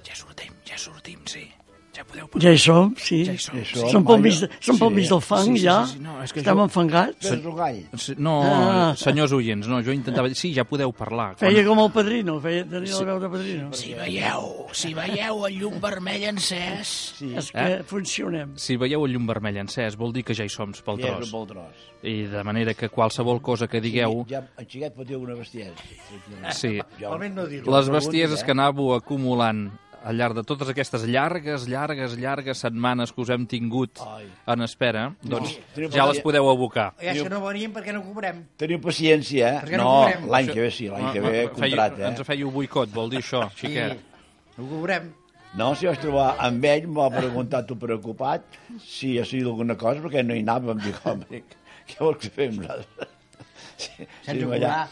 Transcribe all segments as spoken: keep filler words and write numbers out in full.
Ja sortim, ja sortim, sí. Ja podeu... Ja hi som, sí. Ja hi som. Sí. Som pel mig, de, som pel mig del fang, Sí, sí, ja. sí, sí, no, és que Estem jo- enfangats. Tens un gall. Sí, no, Ah. senyors oients, no, jo intentava dir... Sí, ja podeu parlar. Feia com el padrino, feia, tenia la veu de padrino. Si veieu, si veieu el llum vermell encès... Sí, És que funcionem. Si veieu el llum vermell encès, vol dir que ja hi som pel ja és tros. pel tros. I de manera que qualsevol cosa que digueu... Ja, en Xiquet patiu una bestiesa. Sí, Jo, Almenys no dir-ho. les bestieses que anàveu acumulant al llarg de totes aquestes llargues, llargues, llargues setmanes que us hem tingut Ai. en espera, doncs No. ja les podeu abocar. Ja és que no venim perquè no cobrem. Teniu paciència, eh? Perquè no No, cobrem. l'any que ve sí, l'any que ve Fèieu- contracte, Ens eh? fèieu boicot, vol dir això, xiquet. No cobrem. No, si vaig trobar amb ell, m'ha preguntat tu preocupat si ha sigut alguna cosa, perquè no hi anava, em dic, home, què vols que fem nosaltres? Sí, Sense allà.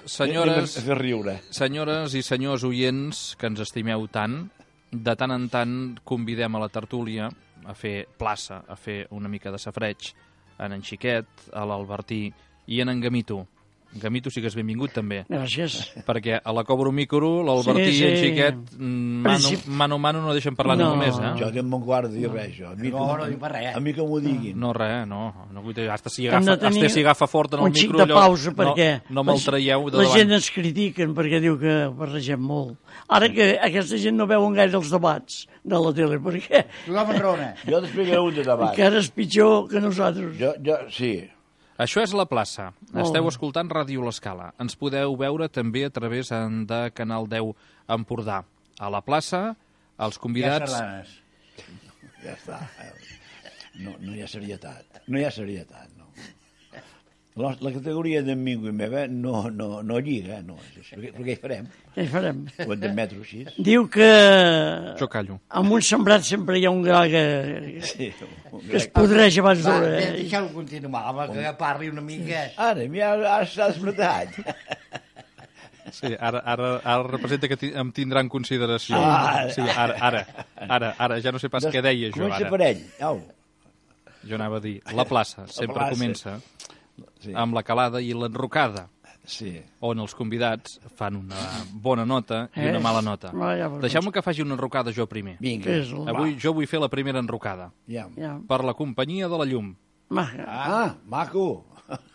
Senyores- A fer riure. Senyores i senyors oients que ens estimeu tant, de tant en tant convidem a la tertúlia a fer plaça, a fer una mica de safreig en en Xiquet, a l'Albertí i en en Gamito. Gamito sí que és benvingut també, Gràcies. perquè a la Cobro Micro, l'Albertí Sí, i en sí. Xiquet, mm, mano, Princip- mano a mano no deixen parlar No. ningú més, eh? Jo tinc un quart de dir res, jo. A mi, No, que- no dic per res. A mi que m'ho diguin. No, res, no. no vull dir, hasta si Hem agafa, de tenir hasta si agafa fort en el un xic micro, de allò, pausa perquè no, no me'l la- traieu de la davant. gent ens critiquen perquè diu que barregem molt. Ara que aquesta gent no veuen gaire els debats de la tele, perquè Tothom enraona. Jo t'explicaré un de debat. encara és pitjor que nosaltres. Jo, jo, sí. Això és La Plaça. Molt Esteu bé. escoltant Ràdio L'Escala. Ens podeu veure també a través en- de Canal deu Empordà. A La Plaça, els Ja convidats... sardanes. Ja està. No, no hi ha serietat. No hi ha serietat, no. La, la categoria d'en Mingo i meva no, no, no lliga, no. Perquè, perquè hi farem. Què hi farem? Ho hem d'admetre així. Diu que Jo callo. amb un sembrat sempre hi ha un gra que, Sí. que es podreix abans Va, d'hora. de- eh? deixeu-lo continuar, home, que parli una mica. Ara, ja ara s'ha desmatat. Sí, ara, ara, ara representa que ti- em tindran consideració. Ah. Sí, ara, ara, ara, ara, ja no sé pas què deia jo Comença ara. per ell. Au. Jo anava a dir, La Plaça sempre plaça. comença Sí. amb la calada i l'enrocada, Sí. on els convidats fan una bona nota i una Eh? mala nota. Va, ja veuràs. Deixeu-me que faci una enrocada jo primer. Vinga. Què és el... Avui jo vull fer la primera enrocada. Ja. Ja. Per la companyia de la llum. Maca. Ah, maco.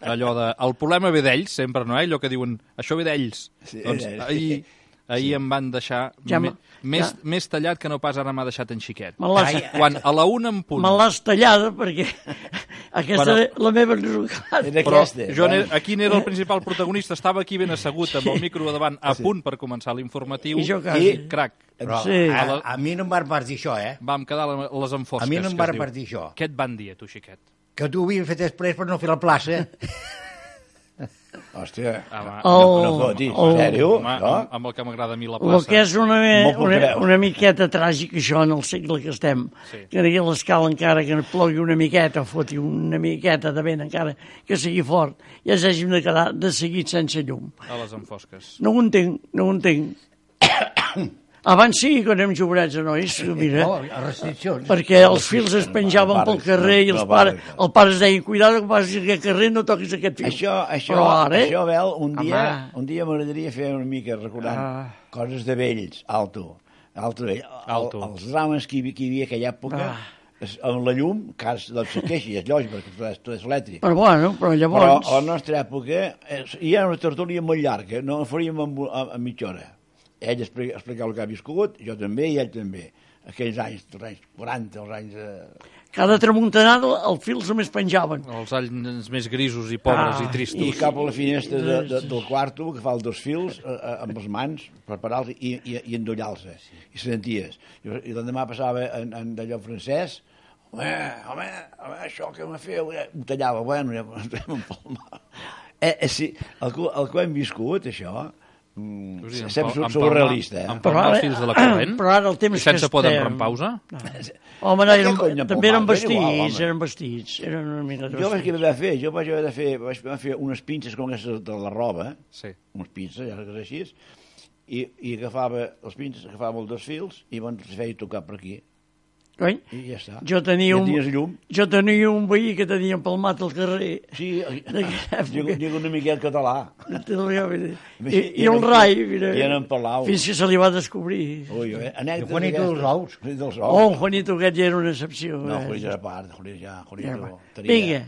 Allò de... El problema ve d'ells, sempre, no? Eh? Allò que diuen, això ve d'ells. Sí, Doncs d'ells. ahir, ahir em van deixar Ja me, me- més, ja. més tallat que no pas ara m'ha deixat en Xiquet. Me l'has Quan a la una en punt... me l'has tallada perquè aquesta Bueno. és la meva enrocada. Era Però aquesta. jo bueno. n'era- aquí n'era el principal protagonista, estava aquí ben assegut amb el micro davant, a punt per començar l'informatiu. I jo quasi. I, crac, Però Sí. a, a mi no em van partir això, eh? vam quedar la- les enfosques. A mi no em que va es diu. repartir això. Què et van dir, a tu, Xiquet? Que tu havies fet després per no fer la plaça. Hòstia. Ah, va. No, El- no fotis. el- En sèrio? Home, No? amb, amb el que m'agrada a mi la El plaça. que és una, Molt puc una, creure. una miqueta tràgic, això, en el segle que estem. Sí. Que aquí a l'escala, encara que plogui una miqueta, o foti una miqueta de vent, encara que sigui fort, ja s'hàgim de quedar de seguit sense llum. A les enfosques. No ho entenc, no ho entenc. Abans sí, quan érem jovenets, nois, mira, Oh, a restriccions. perquè els fils es penjaven pel carrer i els no, pares, no. el pare es deia, cuidado que passis aquest carrer, no toquis aquest fil. Això, això, Però ara, això, Bel, un dia, Home. un dia m'agradaria fer una mica recordant Ah. coses de vells, alto. Alto, vell. Alto. El, els drames que hi, havia- que hi havia aquella època, Ah. es, amb la llum, cas doncs se queixi, és lògic, perquè tot és, tot és elèctric. Però bueno, però Però llavors... a la nostra època eh, hi ha una tertúlia molt llarga, no la faríem en, en, en mitja hora. Ell explica, explicava el que ha viscut, jo també i ell també. Aquells anys, els anys quaranta, els anys... Eh... Cada tramuntanada el fil se més penjaven. Els anys més grisos i pobres Ah, i tristos. I cap a la finestra de, de, del quarto, que fa els dos fils, eh, eh, amb les mans, preparar-los i, i, i endollar-se. I senties. I, i l'endemà passava en, en d'allò francès, home, home, home, això que m'ha fet, eh, ho tallava, bueno, ja m'ho empalmava. Eh, eh, sí, el, que- el que hem viscut, això, mm, O sigui, em sempre pa- em sou palmar- realista, eh? em palmar els fils de la corrent? Però ara el temps I sense que poden estem... rempausa? Home, no, eren, Què cony de també eren palmar? És igual, vestits, home. eren vestits, eren una mica Jo vaig vestits. haver de fer, jo vaig haver de fer, vaig haver de fer unes pinces com aquestes de la roba, Sí. unes pinces, ja que és així, i, i agafava els pinces, agafava els dos fils i me'n feia tocar per aquí. Coi? I ja està. Jo tenia, ja un, tenies llum. jo tenia un veí que tenia empalmat al carrer. Sí, dic una miqueta català. I, i el rai, mira, I en Palau. fins que se li va descobrir. Ui, eh? I Juanito dels Ous. Dels Ous. Oh, Juanito aquest ja era una excepció. No, eh? Juanito era part. Juanito ja, Juanito Ja, va. tenia... Vinga,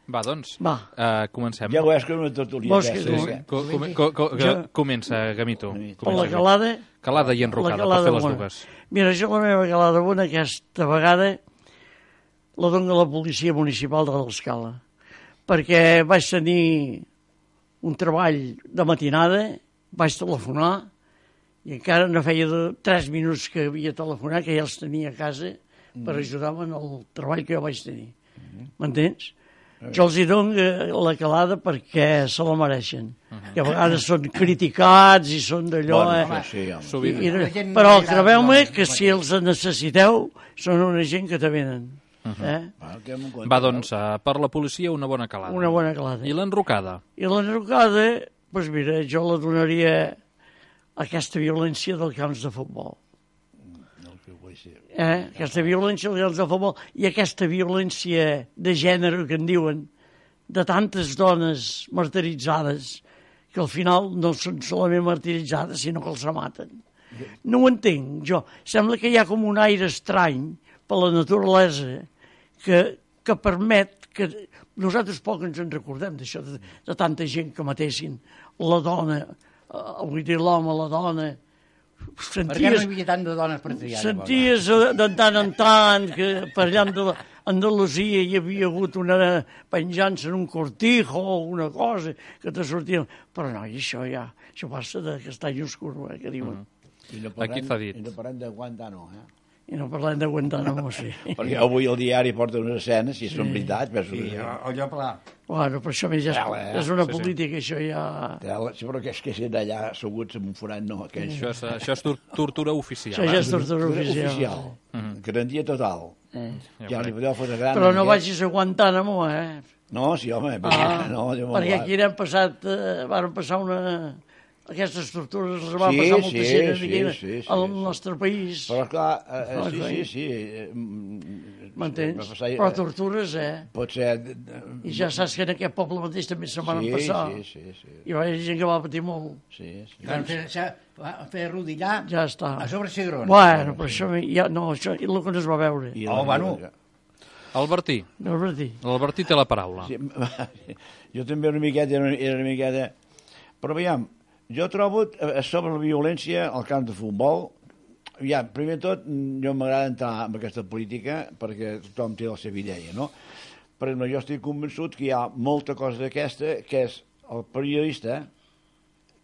Va, doncs, Va. Uh, comencem. Ja veus que era una tertúlia. Vols que aquesta, tu- sí. Co com co co Jo- comença, Gamito. per la calada... Calada i enrocada, la calada per fer les bona. dues. Mira, jo la meva calada bona aquesta vegada la dono a la policia municipal de l'Escala, perquè vaig tenir un treball de matinada, vaig telefonar, i encara no feia de tres minuts que havia telefonat, que ja els tenia a casa per ajudar-me en el treball que jo vaig tenir. M'entens? Jo els hi dono la calada perquè se la mereixen. Que a vegades són criticats i són d'allò... Bueno, eh? sí, home. Sovint. I, La gent però no li agrada, crebeu-me no, que no, si els necessiteu són una gent que te venen. Eh? Va, que m'ho compte, Va, doncs, uh, per la policia una bona calada. Una bona calada. I l'enrocada? I l'enrocada, doncs mira, jo la donaria a aquesta violència dels camps de futbol. No, que ho vull dir. Eh? Aquesta violència dels camps de futbol i aquesta violència de gènere que en diuen, de tantes dones martiritzades, que al final no són solament martiritzades, sinó que els maten. No ho entenc, jo. Sembla que hi ha com un aire estrany per la naturalesa que, que permet que nosaltres poc ens en recordem d'això, de, de tanta gent que matessin la dona, eh, vull dir l'home, la dona. Per què no Senties, hi havia tant de dones per triar? senties eh, de tant en tant que per allà a Andalusia hi havia hagut una penjança en un cortijo o una cosa que te sortia... Però no, i això ja, això passa de castany oscur, eh, que diuen. I no Aquí s'ha dit. I no parlem de Guantánamo, eh? I no parlem de Guantánamo, sí. Perquè avui el diari porta unes escenes, si són veritats, penso Sí, que... el lloc pla. Bueno, però això més ja és, Tela, eh? és una Sí, sí. política, això ja... Tela, sí, però que és que ser d'allà asseguts en un forat, no, aquells... Això és, això és tor tortura oficial. Això ja eh? és tortura oficial. oficial. Garantia total. Eh. Ja li podeu fer una gran... Però no aquest. vagis a Guantánamo, eh? No, sí, home, Ah, no, jo me'n perquè vaig. aquí n'hem passat, eh, van passar una... Aquestes tortures les va Sí, passar molta sí, gent sí, aquí sí, sí, al sí. nostre país. Però, esclar, eh, eh, Ah, sí, clar. sí, sí. eh, mm, va M'entens? passar, eh, Però tortures, eh? Pot ser... I ja saps que en aquest poble mateix també se van Sí, passar. sí, sí, sí. Hi va haver gent que va patir molt. Sí, sí. Van fer, sa- van fer rodillar Ja està. a sobre cigrons. Bueno, però això ja, no, això és el que no es va veure. I Oh, la- bueno. Albertí, No és dir. l'Albertí té la paraula. Sí, jo també una miqueta, era una, era una miqueta... Però veiem, jo trobo eh, sobre la violència al camp de futbol, ja, primer de tot, jo m'agrada entrar en aquesta política perquè tothom té la seva idea, no? Per exemple, jo estic convençut que hi ha molta cosa d'aquesta que és el periodista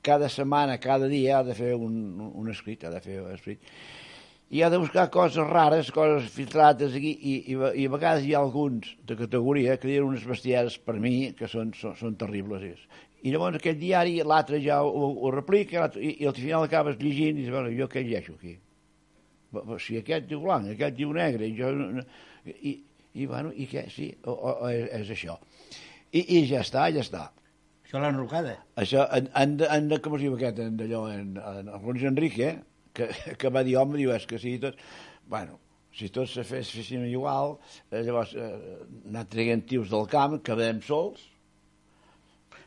cada setmana, cada dia ha de fer un, un escrit, ha de fer un escrit, i ha de buscar coses rares, coses filtrades aquí, i, i, i a vegades hi ha alguns de categoria que diuen unes bestieses per mi que són, són, són terribles. I llavors aquest diari, l'altre ja ho, ho replica, i, i al final acabes llegint i dius, bueno, jo què llegeixo aquí? Si aquest diu blanc, aquest diu negre, i jo... I, i bueno, i què? Sí, o, o, o és, és això. I, I ja està, ja està. Això l'enrocada. Això, en, en, de, en de, com es diu aquest, en d'allò, en, en, en Luis Enrique, que, que va dir, home, diu, és que si tots... Bueno, si tots se fes, fessin igual, eh, llavors eh, anar traient tios del camp, quedem sols.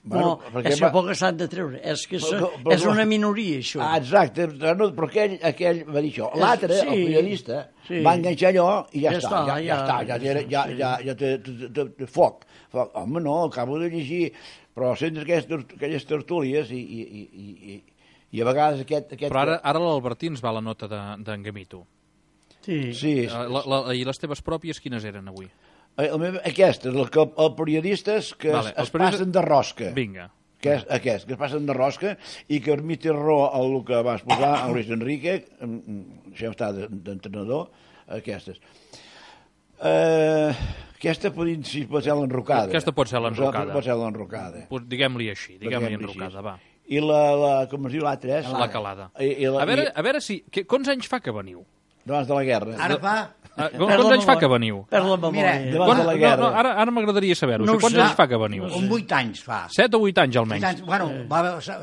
No, és que poc s'han de treure. És que Però- és, però- és una minoria, això. Ah, exacte, no, però aquell, aquell va dir això. L'altre, Sí, el periodista, sí. va enganxar allò i ja, Ja està, està, ja, ja, ja- està, ja, ja, ja, sí. ja, ja té, té, té, té foc. foc. Home, no, acabo de llegir, però sents aquelles, aquelles tertúlies i, i, i, i, i, i a vegades aquest... aquest Però ara, ara l'Albertí ens va la nota d'en de, Gamito. Sí. Sí, Eh, La, la, I les teves pròpies quines eren avui? el meu, aquesta, el, que, els periodistes que Vale, vale, els es, es periodistes- passen de rosca. Vinga. Que és aquest, que es passen de rosca i que mi té raó el que va exposar a Luis Enrique, això està d'entrenador, aquestes. Eh, aquesta podria, si pot ser l'enrocada. Aquesta pot ser l'enrocada. Pot ser l'enrocada. Pues Diguem-li així, diguem-li Diguem-li enrocada, així. va. I la, la, com es diu l'altra? És? La calada. I, i la, A veure, i, a veure si... Que, quants anys fa que veniu? abans de la guerra. Ara fa Uh, quants anys fa que veniu? Per la Mira, memòria. Davant Quan, de la no, guerra. no, ara ara m'agradaria saber-ho. No No ho quants sé. anys fa que veniu? Un vuit anys fa. Set o vuit anys, Vuit almenys. anys, bueno, va,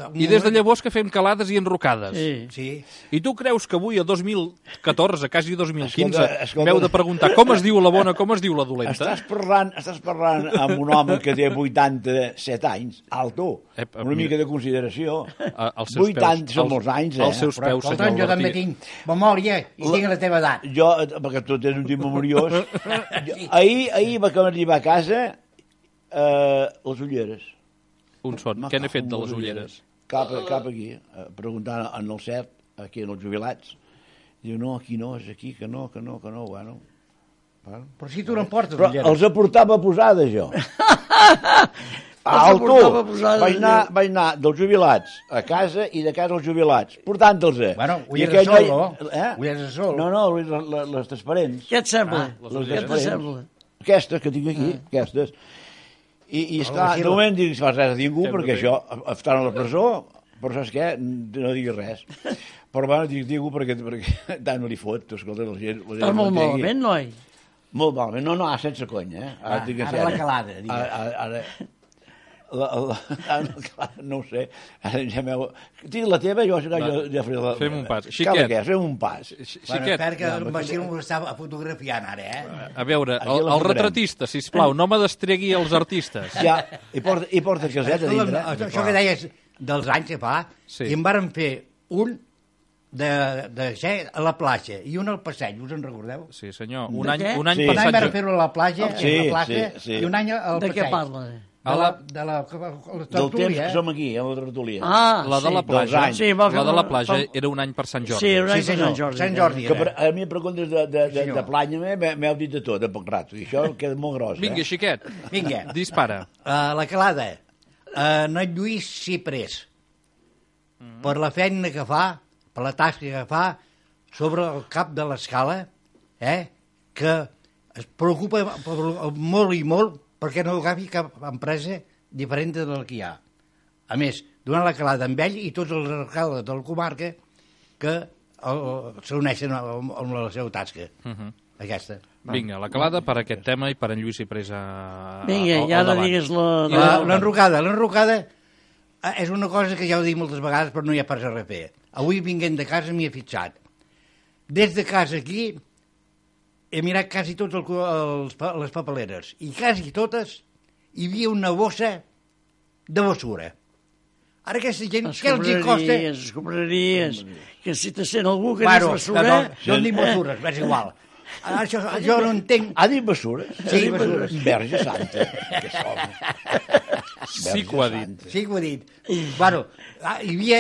un I des de moment- llavors que fem calades i enrocades. Sí. Sí. I tu creus que avui, a dos mil catorze, quasi dos mil quinze, Escolta, escolta. m'heu de preguntar com es diu la bona, com es diu la dolenta? Estàs parlant, estàs parlant amb un home que té vuitanta-set anys, alto, Ep, una mica de consideració. A- als seus vuitanta peus. són Als- molts anys, eh? als seus Però, peus, escolta'm, senyor jo també Albertí. tinc memòria i tinc la teva edat. Jo, eh, perquè tu tens un tip memoriós, jo, ahir, ahir va que arribar a casa eh, les ulleres. Un son. Què n'he fet de les ulleres? Cap, cap aquí, eh, preguntant en el cert, aquí en els jubilats. Diu, no, aquí no, és aquí, que no, que no, que no, bueno. bueno. Però si tu no em portes Però ulleres. els aportava posades, jo. Els Alto, aportava posades, vaig anar, jo. vaig anar dels jubilats a casa i de casa als jubilats, portant-los. Bueno, I ulleres aquell de sol, noi- no? Eh? Ulleres de sol. No, no, les, les, les transparents. Què et sembla? Ah, les Què ulleres. te sembla? Aquestes que tinc aquí, aquestes. I, i esclar, sí, de moment dic, fas res a ningú, Sempre perquè bé. això, estan a la presó, però saps què? No diguis res. Però bueno, dic ningú perquè, perquè tant no li fot, tu, escolta, la gent... La gent Estàs molt ho entengui. malament, noi? Molt malament, no, no, sense conya, eh? Ah, et dic en ara sèrio. la calada, digues. Ara, ara, ara la, la, ara, clar, no ho sé, ara ja m'heu... Tinc la teva, jo, jo, jo ja faré la... Fem un pas. Cal Xiquet. què? Fem un pas. Bueno, Xiquet, espera que no, el perquè- Bacil m'ho està fotografiant ara, eh? a veure, Aquí el, la el posarem. retratista, sisplau, no me destregui els artistes. Ja, i porta, i porta caseta a Escolta'm, dintre. això, això que deies dels anys que fa, Sí. i en vàrem fer un de, de ser a la platja i un al passeig, us en recordeu? Sí, senyor. De Un any, què? un any Sí. per Un any Sant vàrem Jo- fer-ho a la platja, Sí, a la platja, sí, sí. i un any al De passeig. què parla? De A la, la- de la, la, la Del temps tertúlia, que eh? som aquí, a la tertúlia. Ah, La de la sí. platja, anys. Sí, va fer la de la una- platja fa- era un any per Sant Jordi. Sí, era un Sí, any per senyor, Sant Jordi. Sant Jordi. Que per, a mi em preguntes de, de, de, senyor. de planya, m'he- m'heu dit de tot, de poc rato, i això queda molt gros, Vinga, eh? xiquet, Vinga, dispara. uh, la calada. Uh, en Lluís Ciprés, Mm. per la feina que fa, per la tasca que fa, sobre el cap de l'escala, eh, que es preocupa per- molt i molt perquè no agafi cap empresa diferent de la que hi ha. A més, donant la calada amb ell i tots els alcaldes de la comarca que el- s'uneixen amb, amb la seva tasca, Uh -huh. aquesta. Vinga, la calada per aquest tema i per en Lluís i Presa Vinga, al, ja al ara davant. digues la... La- L'enrocada, l'enrocada eh, és una cosa que ja ho he dit moltes vegades però no hi ha pas a refer. Avui vinguent de casa m'hi he fixat. Des de casa aquí he mirat quasi tots el, els, pa- les papeleres i quasi totes hi havia una bossa de basura. Ara aquesta gent, què els hi costa? Escombraries, escombraries. Que si te sent algú que Bueno, és basura... no, no, no dic basures, és igual. Ara, això, jo no entenc... Ha dit bessures? Sí, Ha dit bessures. Verge Santa, que som. Sí que ho ha dit. Sí que ho he dit. Bueno, ah, hi havia...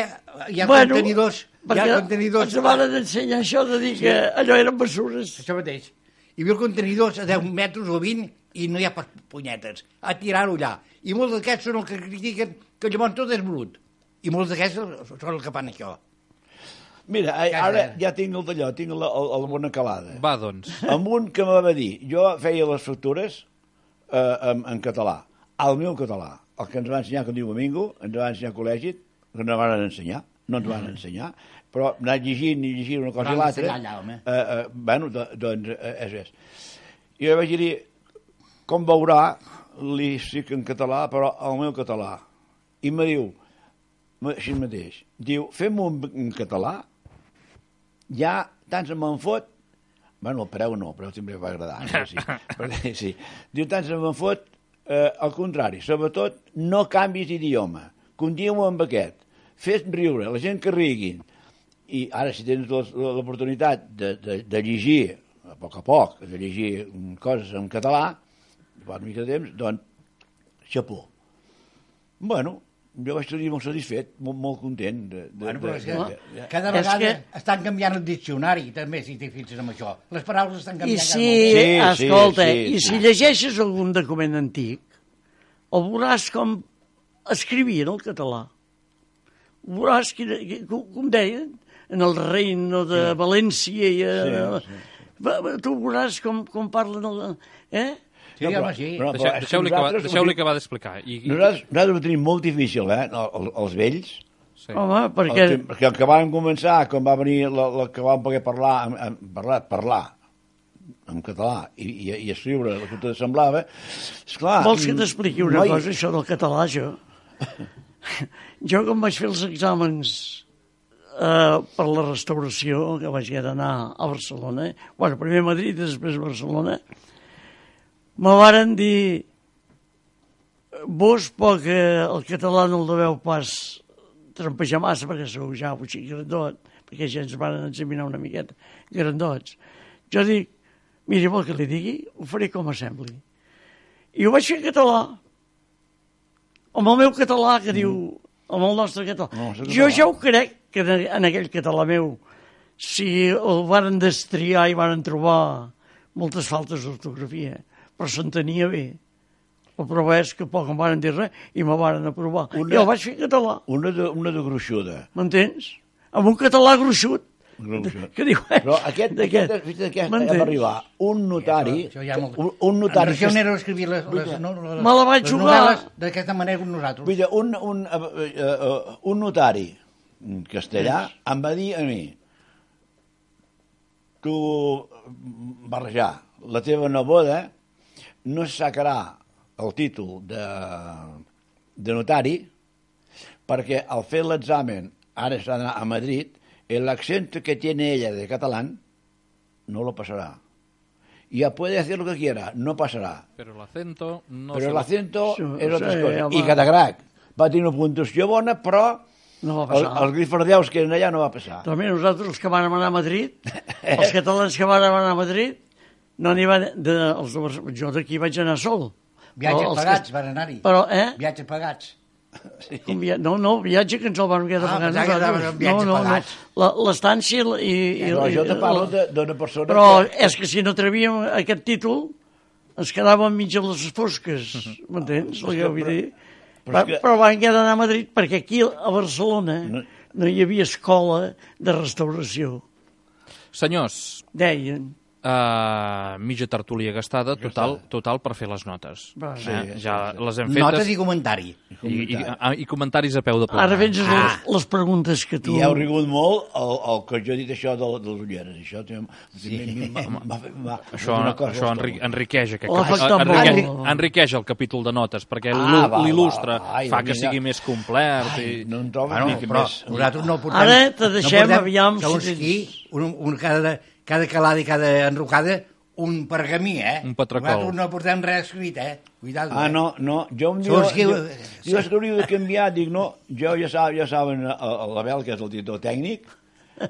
Hi ha Bueno, contenidors... Hi perquè ha contenidors... ens van ensenyar això de dir que allò eren bessures. Això mateix. Hi havia contenidors a deu metres o vint i no hi ha pas punyetes. A tirar-ho allà. I molts d'aquests són els que critiquen que llavors tot és brut. I molts d'aquests són els que fan això. Mira, Casa. ara ja tinc el d'allò, tinc la, la, la bona calada. Va, doncs. Amb un que me va dir, jo feia les factures eh, en, en català, al meu català, el que ens va ensenyar, que diu Domingo, ens va ensenyar al col·legi, que no van ensenyar, no ens van ensenyar, però anar llegint i llegint una cosa Van i l'altra, ensenyar allà, home. eh, eh, bueno, do, doncs eh, és, és. I jo vaig dir, com veurà, li estic en català, però el meu català. I me diu, així mateix, diu, fem-ho en, en català, ja tant se me'n fot, bueno, el preu no, el preu sempre va agradar, això sí, perquè, sí. Diu, tant se me'n fot, eh, al contrari, sobretot, no canvis d'idioma, continua amb aquest, fes riure, la gent que riguin, i ara si tens l'os- l'oportunitat de, de, de llegir, a poc a poc, de llegir coses en català, fa una mica de temps, doncs, xapó. Bueno, jo vaig estar molt satisfet, molt, molt content. De, de, Bueno, però és que de, de, de, cada És vegada que- estan canviant el diccionari, també, si t'hi fixes amb això. Les paraules estan I canviant si, cada moment. Sí, sí, escolta, sí, i sí. si llegeixes algun document antic, el veuràs com escrivien el català. Ho veuràs que, que, com com deien, en el reino de València i... Eh, Sí, va- va- tu veuràs com, com parlen el... Eh? Sí, No, però- home, sí. però- Deixeu- és que Deixeu-li acabar, nosaltres- deixeu acabar d'explicar. I, i, Nosaltres, nosaltres ho tenim molt difícil, eh, el- els vells. sí. Home, El perquè... que, perquè el que van començar, quan va venir, la, la que van poder parlar, en, en, parlar, parlar, en català i, i, i escriure el que te semblava, esclar... Vols que t'expliqui una noi... cosa, això del català, jo? Jo, quan vaig fer els exàmens eh, per la restauració, que vaig haver d'anar a Barcelona, bueno, primer a Madrid i després a Barcelona, me varen dir vos, poc el català no el deveu pas trampejar massa, perquè sou ja un xic grandot, perquè ja ens van examinar una miqueta grandots. Jo dic, miri, vol que li digui? Ho faré com a sembli. I ho vaig fer en català. Amb el meu català, que diu, amb el nostre català. No, jo ja ho crec, que en aquell català meu, si el varen destriar i varen trobar moltes faltes d'ortografia, però s'entenia bé. La prova és que poc em van dir res i me van aprovar. Una, I el vaig fer en català. Una de, una de gruixuda. M'entens? Amb un català gruixut. Gruixut. Que diu, però aquest, aquest, aquest, aquest hem arribar un notari... Això, això molt... un, un notari... En Racionero escrivia les, les, no, les, me la vaig les jugar. novel·les d'aquesta manera com nosaltres. Mira, un, un, uh, uh, un notari castellà em va dir a mi, tu, barrejar, la teva neboda no es sacarà el títol de, de notari perquè al fer l'examen, ara s'ha d'anar a Madrid, l'accent que tiene ella de catalán no lo pasará. Ya puede hacer lo que quiera, no pasará. Pero el acento no Pero el acento Sí, és altra sí, cosa. home. I Catagrac va tenir una puntuació bona, però No va el, passar. els grifardeus que eren allà no va passar. Però mira, nosaltres, els que vam anar a Madrid, els catalans que van anar a Madrid, no n'hi van... De, els de Barcelona, jo d'aquí vaig anar sol. Viatges Però els pagats, que- van anar-hi. Però, eh? Viatges pagats. Un via... No, no, viatge que ens el van haver de Ah, pagar pensava que nosaltres. anaves amb viatge no, no, pagats. no. La- L'estància i... i, i Però jo te i- parlo de- d'una persona Però que... és que si no travíem aquest títol, ens quedàvem mig a les fosques, m'entens? El que vull dir? Però Va, és que- però van haver d'anar a Madrid perquè aquí a Barcelona No. no hi havia escola de restauració. Senyors, Deien. uh, mitja tertúlia gastada, total, total per fer les notes. Va. Sí, eh? sí, Ja sí. les hem fetes. Notes i comentari. I, i, i, i comentaris a peu de plana. Ara vens Ah. les, les preguntes que tu... I heu rigut molt el, el que jo he dit això de, de les ulleres. Això també sí. Això, això enri, enriqueix, aquest, L'ha capi- afectat enriqueix, molt. enriqueix el capítol de notes, perquè Ah, l'il- va, l'il·lustra, va, ai, fa que mira. sigui més complet. Ai, I... no en trobo Bueno, ni que però més. nosaltres no portem... Ara te deixem, no portem, aviam, segons si qui, tens- un, un, cada, cada calada i cada enrocada, un pergamí, eh? Un patracol. Nosaltres no portem res escrit, eh? Cuidado, Ah, eh? no, no, jo em diu... Segons qui- Jo, jo és que hauria de canviar, dic, no, jo ja, sab, ja saben l'Abel, que és el director tècnic,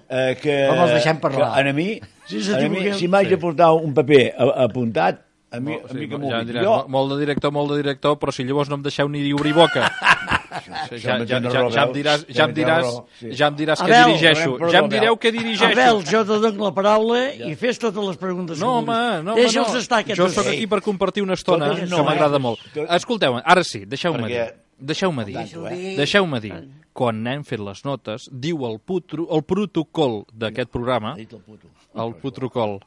eh, que, Com els deixem parlar? que a mi, Sí, a mi s'equivoqueu. si m'haig de portar un paper a- apuntat, a mi, Molt, a mi que m'ho ja digui. diràs, Jo, molt de director, molt de director, però si llavors no em deixeu ni obrir boca. ja, ja, ja, ja, ja em diràs, ja em diràs, ja em diràs que Abel, dirigeixo. perdó, Ja em Abel. direu que dirigeixo. Abel, jo te dono la paraula i fes totes les preguntes. No, que home, vulguis. no, home, Deixa'ls no. estar aquests Jo dos. sóc aquí per compartir una estona, Totes no, que m'agrada eh? molt. Tot- Escolteu, ara sí, deixeu-me dir. Perquè- Deixeu-me dir. Deixa-ho dir. Deixeu-me dir. Quan hem fet les notes, diu el, putru, el protocol d'aquest programa, ha dit el puto. el protocol,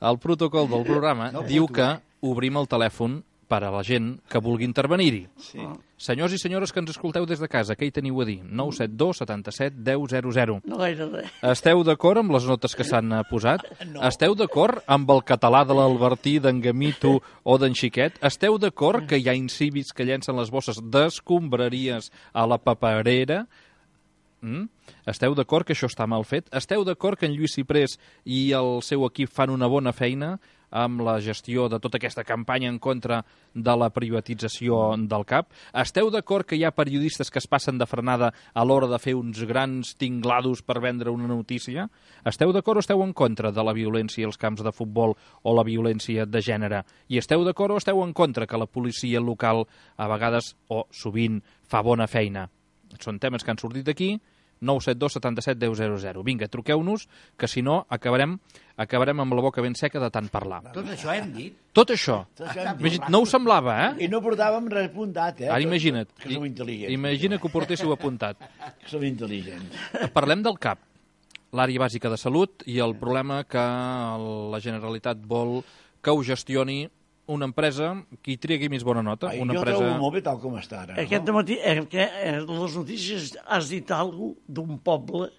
el protocol del programa diu que obrim el telèfon per a la gent que vulgui intervenir-hi. Sí. Senyors i senyores que ens escolteu des de casa, què hi teniu a dir? nou set dos setanta-set deu zero zero. No gaire res. Esteu d'acord amb les notes que s'han eh, posat? No. Esteu d'acord amb el català de l'Albertí, d'en Gamito o d'en Xiquet? Esteu d'acord que hi ha incívics que llencen les bosses d'escombraries a la paperera? Mm? Esteu d'acord que això està mal fet? Esteu d'acord que en Lluís Ciprés i el seu equip fan una bona feina amb la gestió de tota aquesta campanya en contra de la privatització del C A P? Esteu d'acord que hi ha periodistes que es passen de frenada a l'hora de fer uns grans tinglados per vendre una notícia? Esteu d'acord o esteu en contra de la violència als camps de futbol o la violència de gènere? I esteu d'acord o esteu en contra que la policia local a vegades o sovint fa bona feina? Són temes que han sortit aquí. nou set dos setanta-set deu zero zero. Vinga, truqueu-nos, que si no acabarem acabarem amb la boca ben seca de tant parlar. Tot això hem dit. Tot això. Tot això hem dit. Imagina't, no us semblava, eh? I no portàvem res apuntat, eh? Ara imagina't. Que som intel·ligents. Imagina que ho portéssiu apuntat. Que som intel·ligents. Parlem del C A P, l'àrea bàsica de salut, i el problema que la Generalitat vol que ho gestioni una empresa que hi tregui més bona nota. Ai, Una jo empresa... trobo molt bé tal com està ara. Aquest no? matí, eh, que, eh, les notícies has dit alguna d'un poble,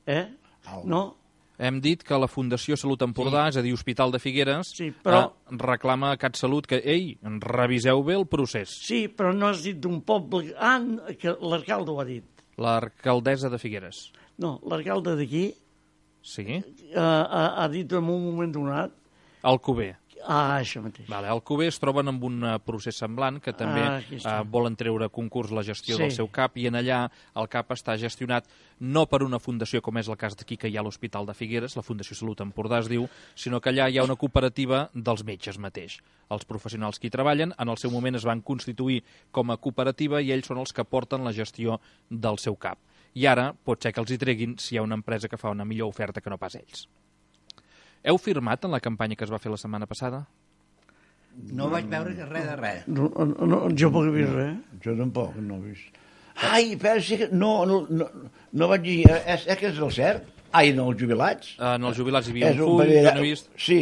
eh? Algo. No? Hem dit que la Fundació Salut Empordà, sí. és a dir, Hospital de Figueres, sí, però... eh, reclama a CatSalut que, ei, reviseu bé el procés. Sí, però no has dit d'un poble... Ah, que l'alcalde ho ha dit. L'alcaldessa de Figueres. No, l'alcalde d'aquí Sí? uh, ha, ha dit en un moment donat... Alcover. Ah, això mateix. Vale, Alcover es troben amb un procés semblant que també Ah, eh, volen treure a concurs la gestió Sí. del seu CAP i en allà el CAP està gestionat no per una fundació com és el cas d'aquí que hi ha l'Hospital de Figueres, la Fundació Salut Empordà es diu, sinó que allà hi ha una cooperativa dels metges mateix. Els professionals que hi treballen en el seu moment es van constituir com a cooperativa i ells són els que porten la gestió del seu CAP. I ara pot ser que els hi treguin si hi ha una empresa que fa una millor oferta que no pas ells. Heu firmat en la campanya que es va fer la setmana passada? No vaig veure res de res. No, no, no, jo no he vist res. Jo tampoc, no he vist. Ai, però sí que... No, no, no, no vaig dir... És, és que és el cert? Ai, en els jubilats? Uh, en els jubilats hi havia És un full parell- que no he vist. Sí.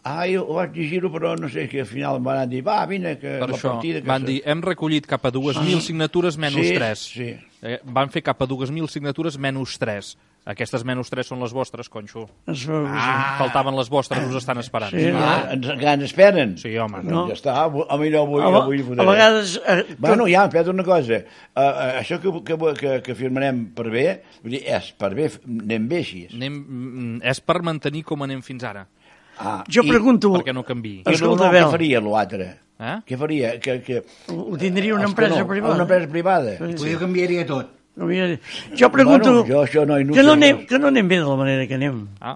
Ai, ho vaig llegir-ho, però no sé, que al final em van dir, va, vine, que Per la això partida... Que van se- dir, hem recollit cap a dues mil signatures menys Sí, tres. sí. Eh, van fer cap a dues mil signatures menys tres. Aquestes menys tres són les vostres, conxo. Es veu que sí. Ah. Faltaven les vostres, us estan esperant. Sí. Ah, ens, que ens esperen? Sí, home. Doncs No. ja està, a mi no vull, A, no vull a vegades... Eh, Bueno, ja, espera't una cosa. Uh, uh, això que, que, que, que firmarem per bé, vull dir, és per bé, anem bé així. Anem, mm, és per mantenir com anem fins ara, Ah, jo i, pregunto... perquè no canviï. I Escolta, no, no, Abel. què faria l'altre? Eh? Què faria? Que, que... Ho tindria una És que empresa no, privada. Una empresa privada. Sí. Potser canviaria tot. No, mira, jo pregunto Bueno, jo això no hi no que, no sé anem, res. que no anem bé de la manera que anem. Ah,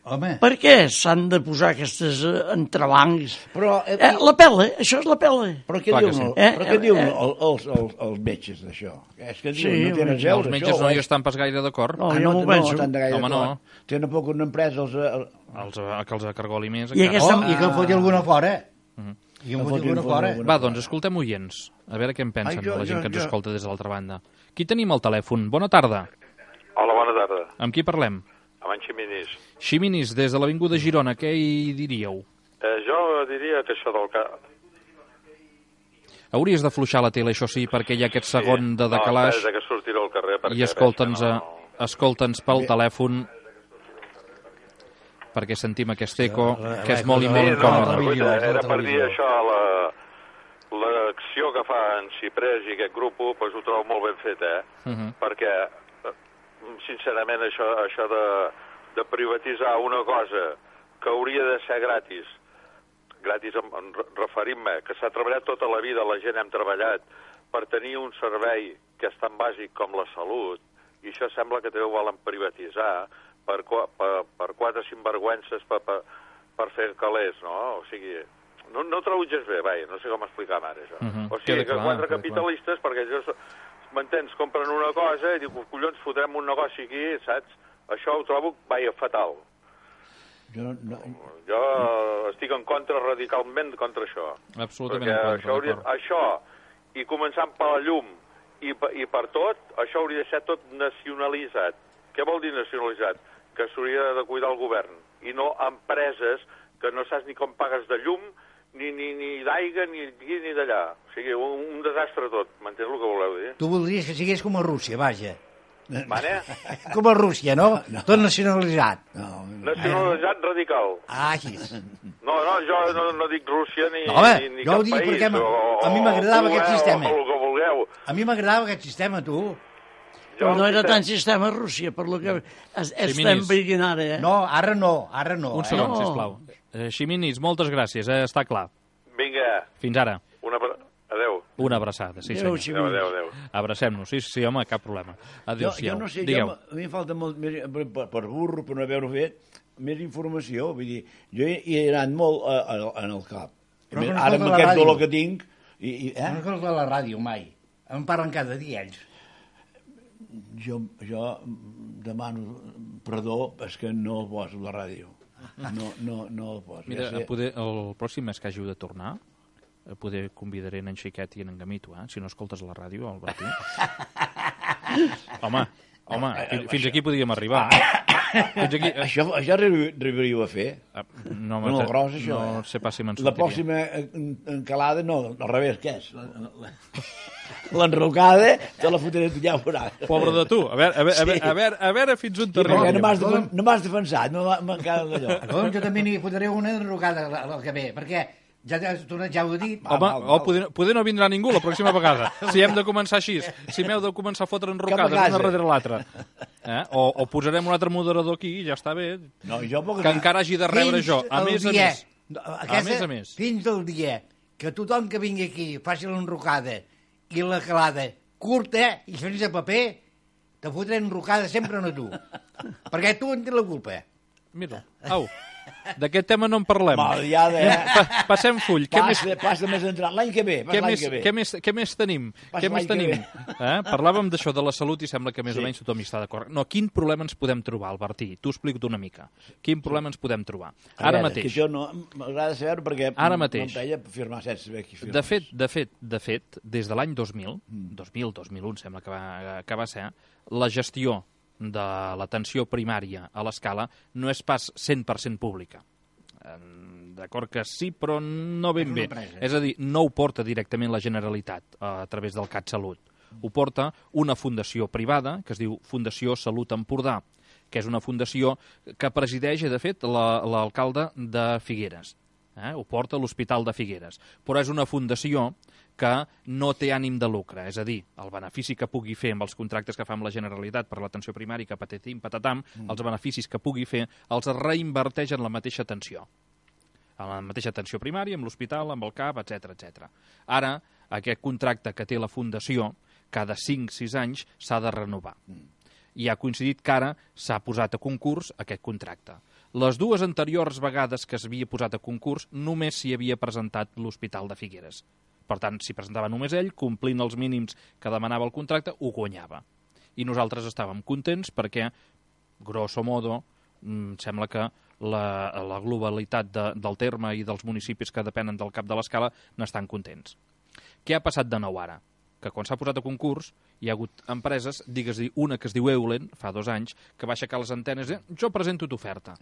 Home, Per què s'han de posar aquestes eh, entrebancs? Però, eh, Eh, la pela, això és la pela. però què Clar que diuen, sí. Eh, però què eh, diuen eh. els, els, els, els metges d'això? És que diuen, Sí, no tenen els res a veure, els metges això, no o hi és- estan pas gaire d'acord. No, Ah, jo no, m'ho no, penso. estan de gaire Home, no. d'acord. Tenen poc una empresa, els... eh, Els, eh, que els acargoli més. I encara. aquesta- oh, i que en foti alguna fora. Mhm. I que en Que foti foti alguna fora. alguna- Va, doncs escoltem oients, a veure què en pensen Ai, jo- la gent jo- que ens jo- escolta des de l'altra banda. Qui tenim al telèfon? Bona tarda. Hola, bona tarda. Amb qui parlem? Amb en Ximinis. Ximinis, des de l'Avinguda Girona, què hi diríeu? Eh, jo diria que això del... Ca... Hauries d'afluixar la tele, això sí, perquè hi ha aquest segon de decalaix No, espera, que sortiré al carrer perquè... i escolta'ns veig que no... escolta'ns pel telèfon perquè sentim aquest eco que és molt i Sí, molt no, incòmode. no, televisió, és la era per dir televisió. això, la- l'acció que fa en Ciprés i aquest grup, doncs ho trobo molt ben fet, eh? Mhm. Perquè, eh, sincerament, això, això de, de privatitzar una cosa que hauria de ser gratis, gratis en, en referint-me, que s'ha treballat tota la vida, la gent hem treballat per tenir un servei que és tan bàsic com la salut, i això sembla que també ho volen privatitzar per, qua- per, per quatre sinvergüences per, per, per fer calés, no? O sigui, no, no ho trobo gens bé, vaja, no sé com explicar-me ara, això. Mhm, O sigui, queda que clar, quatre queda capitalistes, perquè ells, m'entens, compren una cosa i diu, collons, fotrem un negoci aquí, saps? Això ho trobo, vaja, fatal. Jo no, no, Jo estic en contra, radicalment contra això. Absolutament Perquè en contra, això, hauria, d'acord. això, i començant per la llum i, per- i per tot, això hauria de ser tot nacionalitzat. Què vol dir nacionalitzat? Que s'hauria de cuidar el govern, i no empreses que no saps ni com pagues de llum, ni, ni, ni d'aigua, ni d'aquí ni d'allà. O sigui, un, un desastre tot, m'entens el que voleu dir? Tu voldries que sigués com a Rússia, vaja. Mane? Com a Rússia, no? Tot nacionalitzat. no, Nacionalitzat radical. Ai, No, no, jo no, no dic Rússia ni, No, home, ni, ni jo ho cap dic país. perquè a mi- o- a mi m'agradava o aquest vulgueu, sistema. O el que vulgueu. a mi m'agradava aquest sistema, tu. Però no era el tant sistema a Rússia, per lo que es, estem Ximinis. veient ara, eh? No, ara no, ara no. Un eh? segon, No. sisplau. Eh, Ximinis, moltes gràcies, eh? Està clar. Vinga, Fins ara. una... abra- Adéu. Una abraçada, sí Adéu, senyor. Adéu, adéu, adéu. Abracem-nos, sí, sí, home, cap problema. jo, Adéu-siau. jo no sé, Digueu. jo, a mi em falta molt més, per, per burro, per no haver-ho fet, més informació. Vull dir, jo hi, hi he anat molt a, a, en el cap. Però que no Ara escolta amb la aquest ràdio. dolor que tinc... I, i, No eh? escolta la ràdio mai. Em parlen cada dia ells. jo, jo demano perdó, és que no el poso a la ràdio. No, no, no el poso. Mira, ja sé. a poder, el pròxim mes que hàgiu de tornar, a poder convidaré en Xiquet i en Gamito, eh? Si no escoltes la ràdio, al Bertí. home, home, fins, fins aquí podíem arribar. Fins aquí... Això, això arribaríeu a fer? Ah, no, No, el gros, això, no eh? sé pas si me'n La sortiria. pròxima en- encalada, no, al revés, què és? La- la- L'enrocada, te la fotré, ja ho veuràs. Pobre de tu. A veure, a veure, a veure, a veure, a veure fins on I perquè no t'arribaríem. m'has de- no m'has defensat, no m'ha- m'encara d'allò. Doncs jo també n'hi fotré una enrocada el que ve, perquè ja, ja, ja ho he dit. Home, val, val. oh, poder, poder no vindrà ningú la pròxima vegada. Si hem de començar així, si m'heu de començar a fotre enrocades Cap a una casa. darrere l'altra. Eh? O, o posarem un altre moderador aquí i ja està bé. No, jo puc... Que encara hagi de rebre Fins jo, a el més a dia- més. Aquesta, A més a més. Fins del dia que tothom que vingui aquí faci l'enrocada i la calada curta i sense paper, te fotré enrocada sempre a tu. Perquè tu en tens la culpa. Mira, au, d'aquest tema no en parlem. Maliada, eh? Pa passem full. Què més, Passa, passa més entrat. L'any que ve, pas què l'any més, que ve. què, més, què més tenim? Pas Què més l'any que tenim? Eh? Parlàvem d'això de la salut i sembla que més Sí. o menys tothom hi està d'acord. No, quin problema ens podem trobar, Albertí? T'ho explico una mica. Quin problema ens podem trobar? A Ara veure, mateix. Que això no, m'agrada saber perquè Ara no mateix. em feia firmar sense saber qui firma. De fet, de fet, de fet, des de l'any dos mil, dos mil, dos mil un sembla que va, que va ser, la gestió de l'atenció primària a l'escala no és pas cent per cent pública. Eh, D'acord que sí, però no ben bé. És a dir, no ho porta directament la Generalitat a través del CatSalut. Ho porta una fundació privada, que es diu Fundació Salut Empordà, que és una fundació que presideix, de fet, la- l'alcalde de Figueres. Eh? Ho porta l'Hospital de Figueres. Però és una fundació que no té ànim de lucre, és a dir, el benefici que pugui fer amb els contractes que fa amb la Generalitat per l'atenció primària, que patatim, patatam, mm. els beneficis que pugui fer els reinverteix en la mateixa atenció. En la mateixa atenció primària, amb l'hospital, amb el CAP, etcètera, etcètera. Ara, aquest contracte que té la Fundació, cada cinc sis anys s'ha de renovar. I ha coincidit que ara s'ha posat a concurs aquest contracte. Les dues anteriors vegades que s'havia posat a concurs només s'hi havia presentat l'Hospital de Figueres. Per tant, si presentava només ell, complint els mínims que demanava el contracte, ho guanyava. I nosaltres estàvem contents perquè, grosso modo, mm, sembla que la, la globalitat de, del terme i dels municipis que depenen del cap de l'escala n'estan contents. Què ha passat de nou ara? Que quan s'ha posat a concurs hi ha hagut empreses, digues-hi una que es diu Eulen, fa dos anys, que va aixecar les antenes i jo presento t'oferta.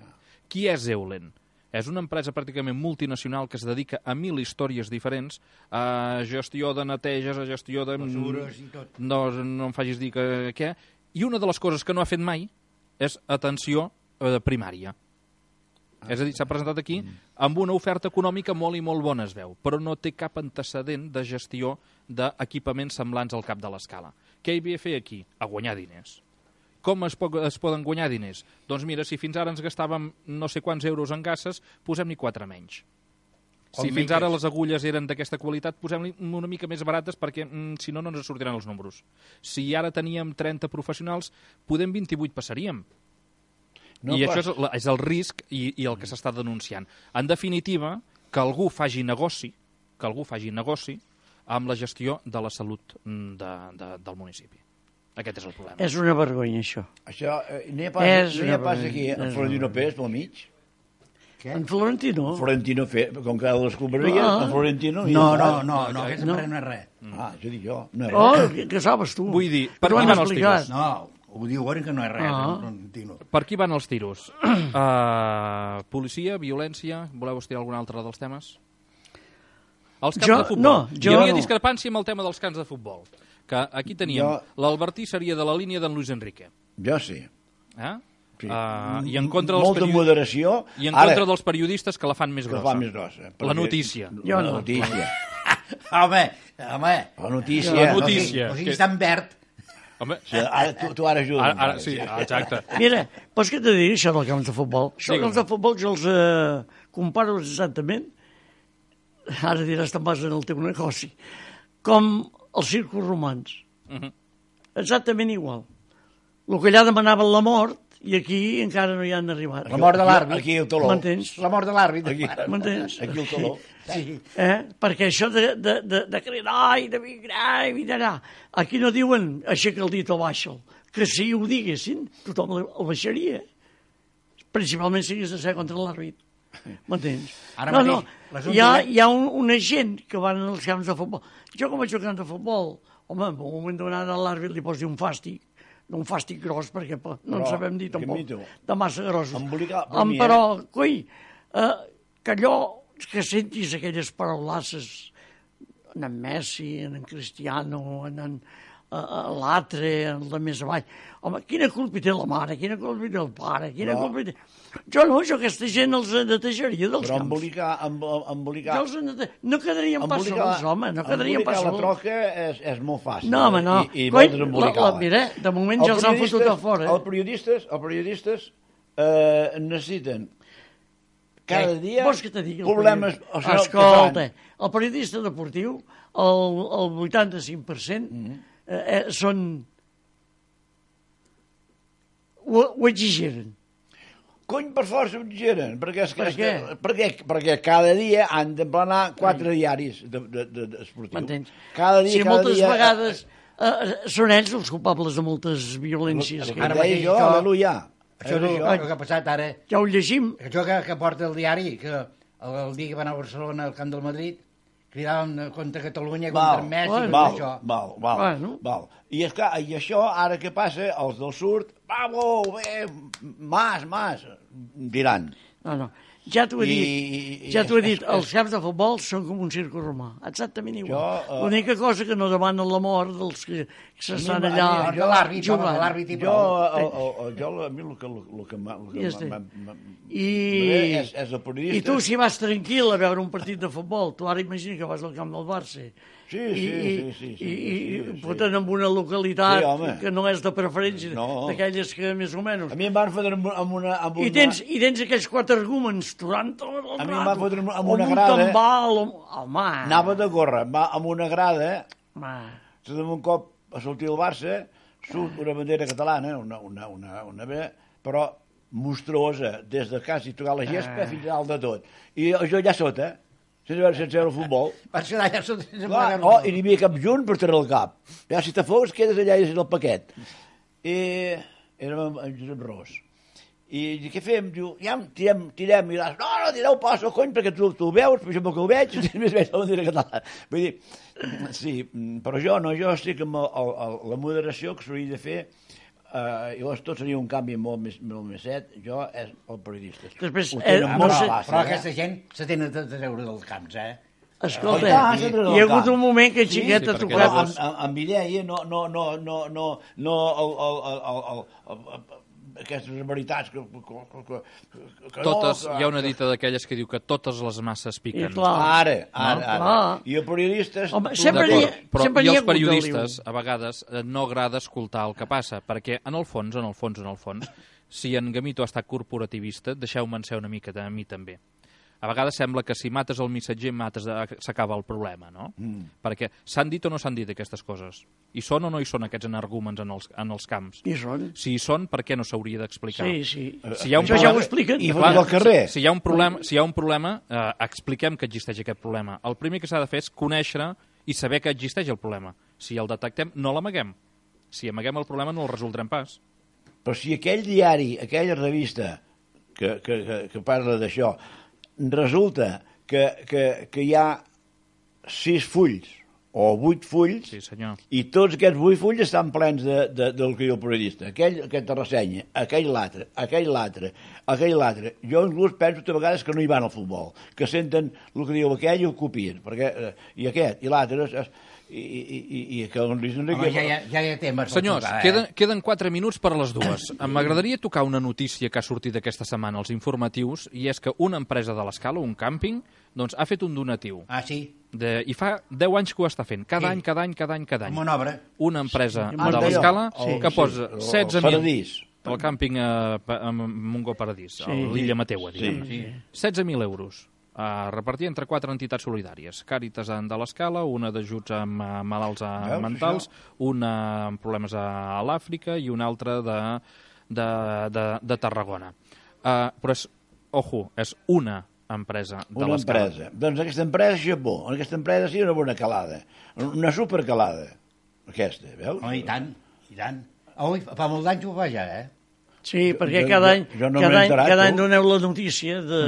Qui és Eulen? És una empresa pràcticament multinacional que es dedica a mil històries diferents, a gestió de neteges, a gestió de... Mesures i tot. No, no em facis dir que què. I una de les coses que no ha fet mai és atenció eh, primària. És a dir, s'ha presentat aquí amb una oferta econòmica molt i molt bona, es veu, però no té cap antecedent de gestió d'equipaments semblants al cap de l'escala. Què hi havia a fer aquí? A guanyar diners. Com es, po es poden guanyar diners? Doncs mira, si fins ara ens gastàvem no sé quants euros en gasses, posem-n'hi quatre menys. Com Si fins miques. ara les agulles eren d'aquesta qualitat, posem-li una mica més barates perquè, mm, si no, no ens sortiran els números. Si ara teníem trenta professionals, podem vint-i-vuit passaríem. No, I pas. això és, la- és el risc i, i el que s'està denunciant. En definitiva, que algú faci negoci, que algú faci negoci amb la gestió de la salut mm, de, de, del municipi. Aquest és el problema. És una vergonya, això. Això, eh, n'hi ha pas, És no hi ha una pas vergonya, aquí, és en una Florentino vergonya. Pérez, pel mig. Què? En Florentino. Florentino Pérez, com que les escombraries, Ah. en Florentino... i No, ja no, està. no, no, aquest No. no. no és res. Ah, jo dic jo. No és Oh, res. que, que sabes tu. Vull dir, per T'ho qui han van els explicat. tiros? No, ho diuen que no és res. Ah. No, no, no. Per qui van els tiros? Uh, policia, violència... Voleu estirar algun altre dels temes? Els camps Jo- de futbol. no, jo Hi havia no. discrepància amb el tema dels camps de futbol. Que aquí teníem... Jo- L'Albertí seria de la línia d'en Luis Enrique. Jo sí. Eh? Sí. Uh, I en contra dels Molta periodi- moderació. I en Ara, contra dels periodistes que la fan més que grossa. fa més grossa. La perquè- notícia. Jo La no. notícia. Home, home. La notícia. La O notícia. sigui, o sigui que- està en verd. Home, Sí, ara, tu, tu ara ajudes. ara, ara, sí, exacte. Mira, vols que te digui això del camps de futbol? Això dels Digue'm. camps de futbol jo els eh, comparo exactament, ara diràs te'n vas en el teu negoci, com els circos romans. Mhm. Exactament igual. El que allà demanaven la mort, i aquí encara no hi han arribat. La mort de l'àrbit. Aquí el taló. M'entens? La mort de l'àrbit. Aquí, M'entens? aquí el taló. Sí. Eh? Perquè això de, de, de, de cridar i de migrar i mirar, aquí no diuen aixeca el dit o baixa'l, que si ho diguessin tothom el el baixaria, principalment si hagués de ser contra l'àrbit. M'entens? Ara No, mateix, no, l'assumpte hi ha, és- hi ha un, una gent que van als camps de futbol. Jo com vaig al camp de futbol, home, en un moment donat a l'àrbit li pots dir un fàstic, d'un fàstic gros, perquè no Però, en sabem dir tampoc, Quimito, de massa grossos. embolicar, per Em, mi, però, eh? coi, eh, que allò, que sentis aquelles paraulasses en en Messi, en en Cristiano, en en uh, l'altre, en la més avall. Home, quina culpa té la mare, quina culpa té el pare, quina No. culpa té... Jo no, jo aquesta gent els netejaria dels Però camps. embolicar, amb, embolicar, Jo els nete... No quedarien pas embolicar, sols, home, no quedarien embolicar pas la sols. troca és, és molt fàcil. No, home, no. I, i Coi, vols la, embolicar-la. la, mira, de moment ja els han fotut a fora. Els periodistes, els periodistes eh, necessiten cada Eh, dia vols que te digui el problemes... periodista? O sigui, que Escolta, fan. el periodista deportiu, el, el vuitanta-cinc per cent Mhm. eh, eh, són... Ho, ho exigeren. Cony, per força ho exageren, perquè, és, que- Per és que, perquè, perquè cada dia han d'emplenar quatre diaris de, de, de, de esportius. M'entens? Cada dia, Si cada moltes dia... vegades eh, són ells els culpables de moltes violències. El Que que Ara deia mateix jo, això- aleluia. Això és el, el que ha passat ara. ja ho llegim. Això que, que porta el diari, que el, el dia que van a Barcelona al camp del Madrid, cridaven contra Catalunya, contra Val, Messi, bueno. contra val, això. val, val, Bueno. val. I, és clar, I això, ara què passa? Els del surt, bravo, bé, mas, mas, diran. No, no. Ja t'ho he I- dit, i- ja t'ho he és- dit, és- els camps de futbol són com un circo romà, exactament igual. Jo, eh, L'única cosa que no demanen la mort dels que, que s'estan A mi- allà a mi- Mort de l'àrbit, home, jugant. l'àrbit i Jo, prou. el, el, el, jo, a mi el que, el que, m'ha- el que I ja està. m'ha- m'ha- I, és, és el periodista. I tu, si vas tranquil a veure un partit de futbol, tu ara imagina que vas al camp del Barça, Sí, i, sí, i, sí, sí, sí, i, i sí, sí. foten en una localitat Sí, home. que no és de preferència, No. d'aquelles que més o menys... A mi em van fotre amb, amb una... Amb una... I tens, I tens aquells quatre arguments durant tot el A mi em rato. va fotre amb o una un grada. tambal, o... Home, Anava de córrer, va amb una grada, home. se d'un cop a sortir el Barça, surt una bandera catalana, una, una, una, una bé, però monstruosa, des de quasi tocar la gespa Ah. fins a dalt de tot. I jo allà sota, sense veure, sense veure el futbol, Per ser allà sota... clar, oh, i n'hi havia cap junt per treure el cap. Ja, si te fos, quedes allà i és el paquet. I érem amb en Josep Ros. I dic, què fem? Diu, ja, tirem, tirem. I dius, no, no, tireu passo, cony, perquè tu, tu ho veus, però jo que ho veig, i més veig la bandera catalana. Vull dir, sí, però jo no, jo estic amb el, el, el, la moderació que s'hauria de fer. Uh, llavors tot seria un canvi molt més, molt més set. Jo és el periodista. Després, Ho eh, tenen no molt sé- fàcil, Però eh? aquesta gent se tenen de treure dels camps, eh? Escolta, Oh, i tant, s'ha de hi ha hagut camp. un moment que el Sí, xiquet sí, ha perquè Però tocat... llavors- amb, amb, amb idea, no, no, no, no, no, no el, el, el, el, el, el, el, aquestes veritats que, que, que, que, que Totes, no, que, hi ha una dita d'aquelles que diu que totes les masses I piquen. clar, Ara, ara, No, ara. clar. I el periodista... és Home, tu sempre d'acord. hi ha- Però sempre i hi ha els hagut periodistes, a vegades, eh, no agrada escoltar el que passa, perquè en el fons, en el fons, en el fons, si en Gamito ha estat corporativista, deixeu-me'n ser una mica de, a mi també. A vegades sembla que si mates el missatger mates s'acaba el problema, no? Mm. Perquè s'han dit o no s'han dit aquestes coses? I són o no hi són aquests energúmens en els, en els camps? I són. Si hi són, per què no s'hauria d'explicar? Sí, sí. Si hi ha un Això ja ho problema- expliquen. I Clar, fots al carrer. Si, si hi ha un problema, si hi ha un problema eh, expliquem que existeix aquest problema. El primer que s'ha de fer és conèixer i saber que existeix el problema. Si el detectem, no l'amaguem. Si amaguem el problema, no el resoldrem pas. Però si aquell diari, aquella revista que, que, que, que parla d'això, resulta que, que, que hi ha sis fulls o vuit fulls, Sí, senyor. i tots aquests vuit fulls estan plens de, de, del que diu el periodista. Aquell, aquesta ressenya, aquell l'altre, aquell l'altre, aquell l'altre. Jo inclús penso que a vegades que no hi van al futbol, que senten el que diu aquell i ho copien. Perquè, eh, i aquest, i l'altre, és- és- i, i, i, i que el Luis Enrique... Home, ja, ja, ja hi ha temes. per Senyors, tocar, eh? queden, queden quatre minuts per a les dues. M'agradaria tocar una notícia que ha sortit aquesta setmana als informatius, i és que una empresa de l'Escala, un càmping, doncs, ha fet un donatiu. Ah, sí? De, I fa deu anys que ho està fent. Cada Sí. any, cada any, cada any, cada any. Com una obra. Una empresa Sí, de d'allò. l'Escala Sí, que sí, posa el- el setze mil... Paradís. El càmping a, a Montgó Paradís, a l'illa Mateua, diguem. Sí. setze mil euros a repartir entre quatre entitats solidàries. Càritas de l'Escala, una d'ajuts amb eh, malalts a Veus, mentals, una amb problemes a, a l'Àfrica i una altra de, de, de, de Tarragona. Uh, però és, ojo, és una empresa de Una l'Escala. empresa. Doncs aquesta empresa això és bo. Aquesta empresa sí una bona calada. Una supercalada. Aquesta, veus? Oh, i tant, i tant. Ui, fa molt d'anys ho fa ja, eh? Sí, perquè Jo- cada jo- any, jo no cada m'he any, enterat, cada tu. any doneu la notícia de...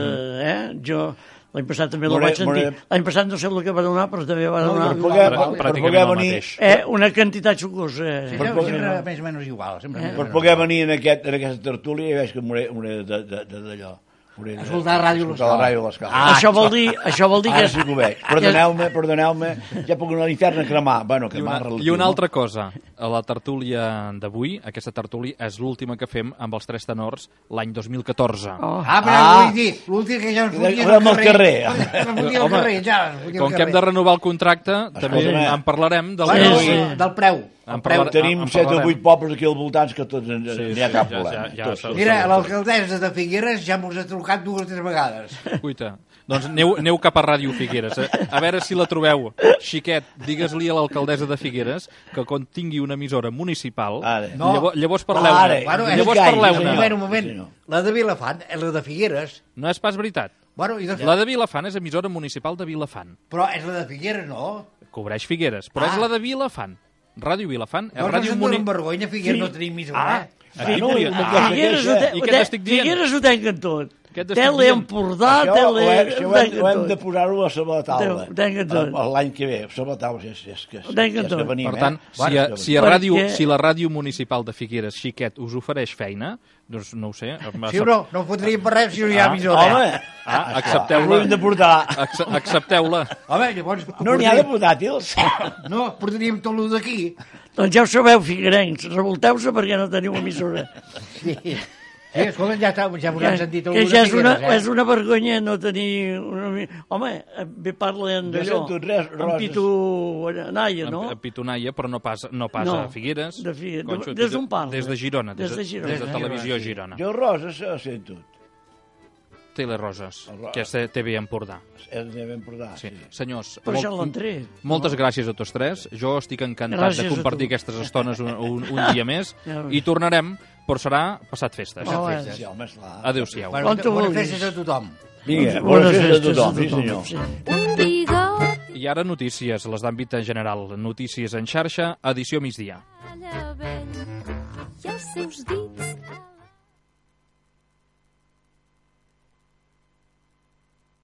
Eh? Jo, L'any passat també la More- vaig sentir. more- L'any passat no sé el que va donar, però també va No, donar per poder, Prà- per, per pràcticament poder el venir, mateix. eh, una quantitat xocosa. Sí, Eh. sempre, sempre més o menys igual. Sempre més o per menys poder igual. venir en, aquest, en aquesta tertúlia, ja veig que m'hauré m'hauré de- de- de- d'allò. M'hauré de- Escoltar la ràdio a escoltar la l'escola. ràdio a l'escola. Ah, això, vol dir, això vol dir que... Ara sí que ho veig. Perdoneu-me, perdoneu-me, ja puc anar a l'infern a cremar. Bueno, I cremar una, relatiu, I una no? altra cosa, a la tertúlia d'avui, aquesta tertúlia és l'última que fem amb els tres tenors l'any dos mil catorze. Oh. Ah, però Ah. vull dir, l'últim que ja ens fotia Érem al carrer. Ens fotia al Home, carrer, ja. ens fotia al Com que hem de carrer. renovar el contracte, també Escolta'm, en parlarem del Bueno, Sí, sí, sí. del preu. En El preu. parlarem. Tenim en set o parlarem. vuit pobles aquí al voltant que tots en, Sí, n'hi ha sí, cap ja- problema. ja- ja Tots, s'ha- tots. Mira, l'alcaldessa de Figueres ja mos ha trucat dues o tres vegades. Cuita. Doncs aneu, aneu cap a Ràdio Figueres. A, a veure si la trobeu. Xiquet, digues-li a l'alcaldessa de Figueres que quan tingui una emissora municipal, Ara. No. llavors, llavors Ara. parleu-ne. Bueno, és llavors gai, Un parleu-ne. senyor. moment, un moment. Sí, senyor. La de Vilafant, eh, la de Figueres. No és pas veritat. Bueno, i de... La de Vilafant és emissora municipal de Vilafant. Però és la de Figueres, no? Cobreix Figueres, però Ah. és la de Vilafant. Ràdio Vilafant és Doncs ràdio ens en muni... donen vergonya, Figueres no tenim emissora. Ah, aquí no, podria... no, Ah, Figueres ho, I te, què ho te, t'estic dient? Figueres ho tanquen tot. Què t'estic Tele dient? Empordà, Això, tele... ho, hem, això ho, hem, ho hem tot. de posar-ho a sobre la taula. Ho tanquen tot. Eh, L'any que ve, sobre la taula, és, és, que, és, Ho tanquen és que tot. venim, Per tant, eh? si, a, Bueno, si, a Perquè- ràdio, si la ràdio municipal de Figueres, Xiquet, us ofereix feina, doncs no ho sé... Sí o no? No ho fotríem per res si no hi ha Ah, emissora. Home, Ah, ho accepteu-la. hem de portar. Acce- Accepteu-la. Home, llavors... No n'hi ha de portaríem- portàtils. No, portaríem tot el d'aquí. Doncs ja ho sabeu, figuerencs, revolteu-se perquè no teniu emissora. Sí. Sí, escolta, ja, està, ja us Que, han sentit el que de ja és una, Figueres, és una vergonya no tenir... Una... Home, bé parlen No d'allò. sento res, En Roses. Pitu Naia, no? A Pitonaia, però no pas, no pas No, a Figueres. de Fi- Conxo, des d'on parla? Des de Girona. Des de Girona. Des de Des de Televisió Girona, Girona. Jo, Rosa, se sento. Teleroses, El Ro- que és T V Empordà. És de ben portar. Sí. Sí. Senyors, Però ja molt- l'han tret. moltes gràcies a tots tres. Jo estic encantat Gràcies de a compartir tu. aquestes estones un, un, un dia més Ja ves. i tornarem, però serà passat festes. Oh, eh. Sí, home, esclar. Adéu-siau. Bueno, Quan tu bones vulguis. festes a tothom. Vinga, Bones bones festes a festes tothom, sí senyor. sí. Un bigot I ara notícies, les d'àmbit en general. Notícies en xarxa, edició migdia. allà vell i els seus dits